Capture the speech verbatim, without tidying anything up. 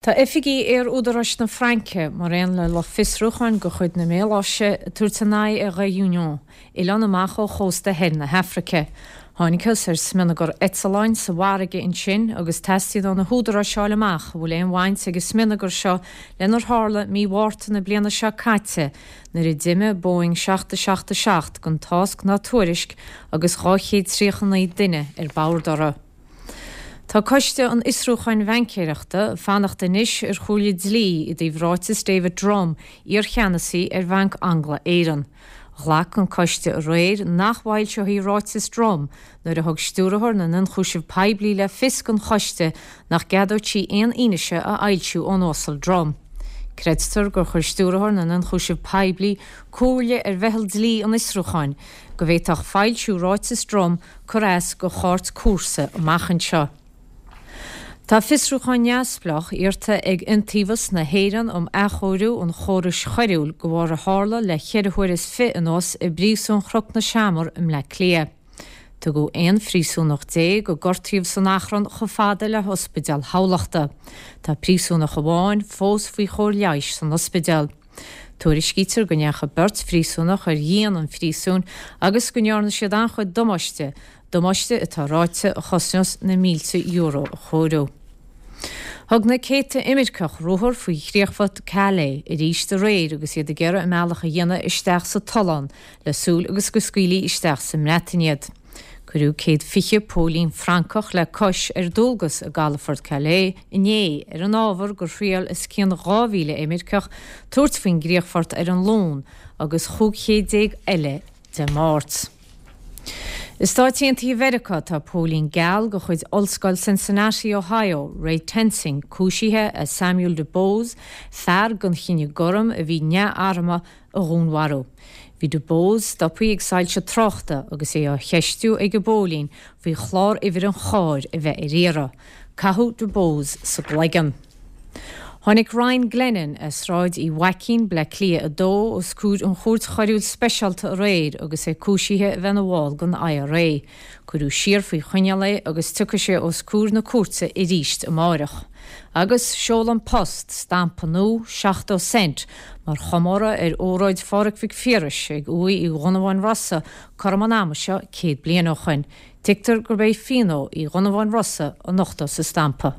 Tá oifigigh Aer-Údaráis na Fraince, mar aon le lucht fiosrúcháin de chuid na Maláise, ag tabhairt a n-aghaidh ar Réunion, oileán amach ó chósta thoir na hAfraice. Thángthas ar smionagar eitleáin sa bhfarraige ansin agus teastaíonn ó na húdaráis fháil amach an bhfuil aon bhaint ag an smionagar seo lenar tharla mí Mhárta na bliana seo caite nuair a d'imigh Boeing seacht a seacht a seacht gan tásc ná tuairisc agus dhá chéad tríocha naoi duine ar bord uirthi. Tá Coiste an Fhiosrúcháin Bhaincéireachta ag fanacht anois ar chomhairle dlí i dtaobh ráiteas David Drumm, iarcheannasaí ar Bhanc Angla-Éireann. Ghlac an coiste aréir nach bhfoilseofaí ráiteas Drumm nuair a thug stiúrthóir na nIonchúiseamh Poiblí le fios don choiste nach gceadódh sí aon fhianaise a fhoilsiú ón Uasal Drumm. Creidtear gur chuir stiúrthóir na nIonchúiseamh Poiblí comhairle ar mheitheal dlí an fhiosrúcháin go bhféadfadh foilsiú ráiteas Drumm cur as do chairt cúrsa amach anseo. Tá fiosrúchán neamhspleách iarrta ag Iontaobhas na hÉireann um Athchóiriú an Chórais Choiriúil de bharr a tharla le ceithre huaire is fiche anuas i bpríosún Chnoc na Seamar i mBleá Cliath. Tugadh aon phríosúnach déag a gortaíodh san achrann chomh fada le hospidéal Thamhlachta. Tá príosúnach amháin fós faoi chóir leighis san ospidéal. Tuairiscítear go ndeachaigh beirt phríosúnach ar dhíon an phríosúin agus go ndearna siad an-chuid damáiste, damáiste atá ráite a chosnós na mílte euro a chóiriú. Thug na céadta imirceach ruathar faoi chríochfort Calais arís aréir agus iad ag iarraidh a mbealach a dhéanamh isteach sa tollán le súil agus go scaoilfí isteach sa mBreatain iad. Cuireadh céad fiche póilín Francach le cois ar dualgas i gcalafort Calais inné ar an ábhar gur thriail os cionn dhá mhíle imirceach tabhairt faoin gcríochfort ar an Luan agus chúig chéad déag eile Dé Máirt. I Stáit Aontaithe Mheiriceá tá póilín geal de chuid Ollscoil Cincinnati, Ohio, Ray Tensing, cúisithe as Samuel DuBose, fear den chine gorm a bhí neamharmtha a dhúnmharú. Bhí DuBose stoptha ag soilse tráchta agus é á cheistiú ag an bpóilín faoi chlár uimhir an chairr a bheith ar iarraidh. Caitheadh DuBose sa gcloigeann. Tháinig Ryan Glennon as Sráid Uí Mhaicín, Bleá Cliath a dó, os comhair an Chúirt Choiriúil Speisialta aréir agus é cúisithe a bheith ina bhall den I R A. Cuireadh siar faoi choinneáil é agus tiocfaidh sé os comhair na cúirte arís amárach. Agus sheol An Post stampa nua seachtó cent mar chomóradh ar óráid Phádraig Mhic Phiarais ag uaigh Uí Dhonnabháin Rosa cothrom an ama seo céad bliain ó shin. Tuigtear gurb é fianó Uí Dhonnabháin Rosa a nochtadh sa stampa.